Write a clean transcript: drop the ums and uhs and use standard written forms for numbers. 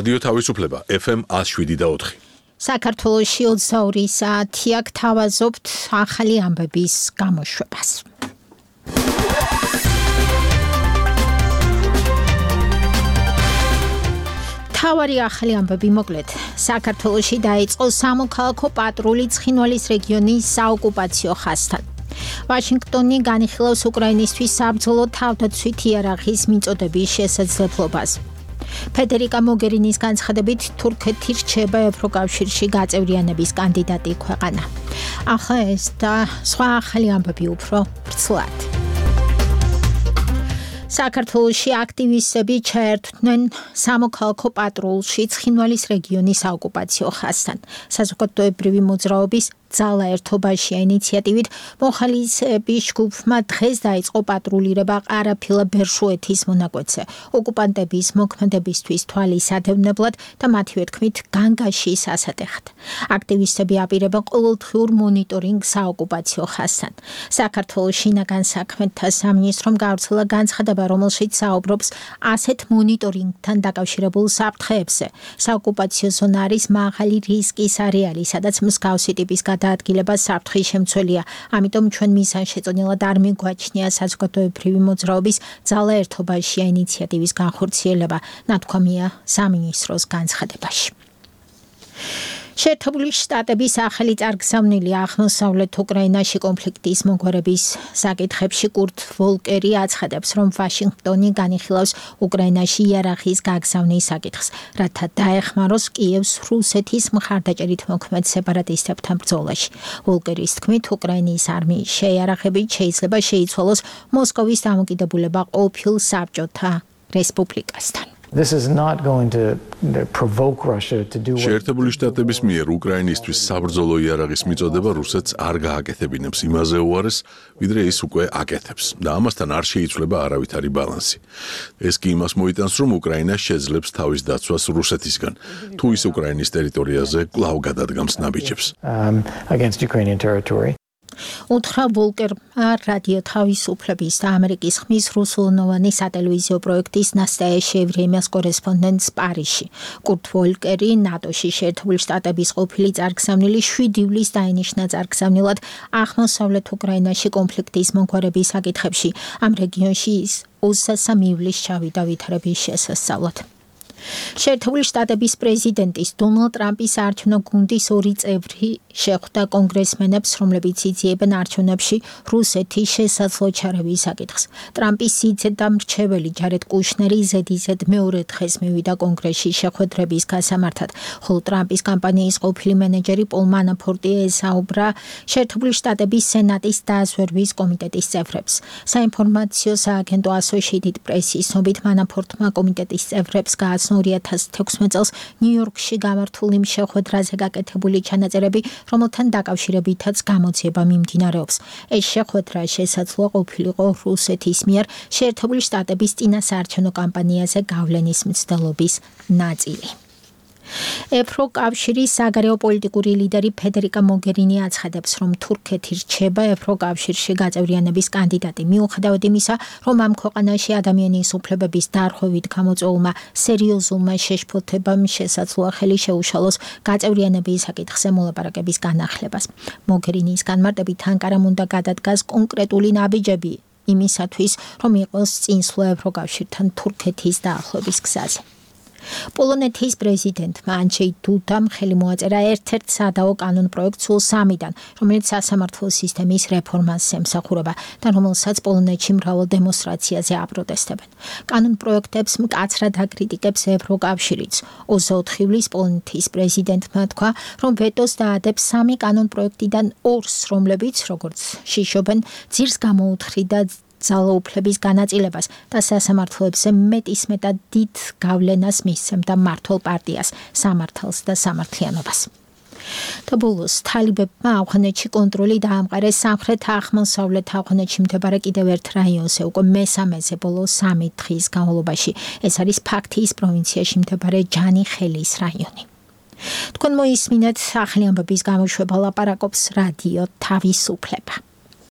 რადიო თავისუფლება FM 107.4. საქართველოში 22 საათია გთავაზობთ ახალი ამბების გამოშვებას. თავარი ახალი ამბები მოკლედ. საქართველოში დაიწყო სამოქალაქო პატრული ცხინვალის რეგიონის საოკუპაციო ხაზთან. ვაშინგტონი განიხილავს უკრაინისთვის საბრძოლო თავდაცვით იარაღის მიწოდების შესაძლებლობას. ფედერიკა მოგერინის განცხადებით თურქეთი რჩება ევროკავშირში გაწევრიანების კანდიდატი ქვეყანა. ახლა ეს და სხვა ახალი ამბები უფრო ვრცლად. საქართველოში აქტივისტები ჩაერთვნენ სამოქალაქო პატრულში ცხინვალის რეგიონის საოკუპაციო ხაზთან. საზოგადოებრივი მოძრაობის ძალა ერთობაშია ინიციატივით მოხალისეების ჯგუფმა დღეს დაიწყო პატრულირება ყარაფილა ბერშუეთის მონაკვეთზე ოკუპანტების მოქმედებისთვის თვალისადევნებლად და მათივე თქმით განგაშის ასატეხად. აქტივისტები აპირებენ ყოველდღიურ მონიტორინგს საოკუპაციო ხაზთან. საქართველოს შინაგან საქმეთა სამინისტრომ გავრცელა განცხადება, რომელშიც საუბრობს ასეთ მონიტორინგთან დაკავშირებულ საფრთხეებზე. საოკუპაციო ზონა არის მაღალი რისკის არეალი, სადაც მსგავსი ტიპის დაადგილება საფრთხის შემცველია. ამიტომ ჩვენ მიზანშეწონილად არ მიგვაჩნია საზოგადოებრივი მოძრაობის ძალა ერთობაშია ინიციატივის განხორციელება, ნათქვამია სამინისტროს განცხადებაში. შეერთებული შტატების ახალი წარგზავნილი აღმოსავლეთ უკრაინაში კონფლიქტის მოგვარების საკითხებში კურტ ვოლკერი აცხადებს, რომ ვაშინგტონი განიხილავს უკრაინაში იარაღის გაგზავნის საკითხს, რათა დაეხმაროს კიევს რუსეთის მხარდაჭერით მოქმედ სეპარატისტებთან ბრძოლაში. ვოლკერის თქმით, უკრაინის არმიის შეიარაღებით შეიძლება შეიცვალოს მოსკოვის დამოკიდებულება ყოფილ საბჭოთა რესპუბლიკასთან. This is not going to provoke Russia to do what შეერთებული შტატების მიერ უკრაინისთვის საბრძოლო იარაღის მიწოდება რუსეთს არ გააკეთებინებს იმაზე უარეს, ვიდრე ის უკვე აკეთებს და ამასთან არ შეიცვლება არავითარი ბალანსი. ეს კი იმას მოიტანს, რომ უკრაინა შეძლებს თავის დაცვას რუსეთისგან, თუ ის უკრაინის ტერიტორიაზე კვლავ გადადგამს ნაბიჯებს. Against Ukrainian territory. უთხრა ვოლკერმა რადიო თავისუფლების და ამერიკის ხმის რუსულენოვანი სატელევიზიო პროექტის ნასტაია შეევრიემას კორესპონდენტს პარიზში. კურტ ვოლკერი ნატოში შეერთებული შტატების ყოფილი წარგზავნილი 7 ივლისს დაინიშნა წარგზავნილად აღმოსავლეთ უკრაინაში კონფლიქტის მოგვარების საკითხებში. ამ რეგიონში ის 23 ივლისს ჩავიდა ვითარების შესასწავლად. შეერთებული შტატების პრეზიდენტის დონალდ ტრამპის საარჩევნო გუნდის 2 წევრი შეხვდა კონგრესმენებს, რომლებიც იძლიებენ არჩევნებში რუსეთის შესაძლო ჩარევის საკითხს. ტრამპის სიძედამრჩეველი ჯარედ კუშნერი ზედიზედ მეორე დღეს მივიდა კონგრესში შეხვედრების გასამართად, ხოლო ტრამპის კამპანიის ყოფილი მენეჯერი პოლ მანაფორტი ესაუბრა შეერთებული შტატების სენატის დაზვერვის კომიტეტის წევრებს. საინფორმაციო სააგენტო Associated Press-ის ცნობით მანაფორტმა კომიტეტის წევრებს გააცნო 2016 წელს ნიუ-იორკში გამართული შეხვედრაზე გაკეთებული ჩანაწერები, რომელთან დაკავშირებითაც გამოძიება მიმდინარეობს. ეს შეხვედრა შესაძლოა ყოფილიყო რუსეთის მიერ შეერთებული შტატების წინასაარჩევნო კამპანიაზე გავლენის მცდელობის ნაწილი. ევროკავშირის საგარეო პოლიტიკური ლიდერი ფედერიკა მოგერინი აცხადებს, რომ თურქეთი რჩება ევროკავშირში გაწევრიანების კანდიდატი, მიუხედავად იმისა, რომ ამ ქვეყანაში ადამიანის უფლებების დარღვევით გამოწვეულმა სერიოზულმა შეშფოთებამ შესაძლოა ხელი შეუშალოს გაწევრიანების საკითხზე მოლაპარაკების განახლებას. მოგერინის განმარტებით ანკარამ უნდა გადადგას კონკრეტული ნაბიჯები იმისათვის, რომ იყოს წინსვლა ევროკავშირთან თურქეთის დაახლოების გზაზე. პოლონეთის პრეზიდენტმა ანჯეი დუდამ ხელი მოაწერა ერთ-ერთ სადაო კანონ პროექტს სულ 3-დან, რომელიც სასამართლო სისტემის რეფორმას ემსახურება და რომელსაც პოლონეთში მრავალ დემონსტრაციაზე აპროტესტებენ. კანონ პროექტებს მკაცრად აკრიტიკებს ევროკავშირიც. 24 ივლისს პოლონეთის პრეზიდენტმა თქვა, რომ ვეტოს დაადებს 3 კანონ პროექტიდან 2-ს, რომლებიც, როგორც შიშობენ, ძირს გამოუთხრიდა ძალაუფლების განაწილებას და სასამართლოებზე მეტისმეტად დიდ გავლენას მისცემდა მმართველ პარტიას, სამართალს და სამართლიანობას. და ბოლოს თალიბებმა ავღანეთში კონტროლი დაამყარეს სამხრეთ-აღმოსავლეთ ავღანეთში მდებარე კიდევ ერთ რაიონზე უკვე მესამეზე ბოლო 3 დღის განმავლობაში. ეს არის ფაქტიის პროვინციაში მდებარე ჯანი-ხელის რაიონი. თქვენ მოისმინეთ ახალი ამბების გამოშვება ლაპარაკობს რადიო თავისუფლება.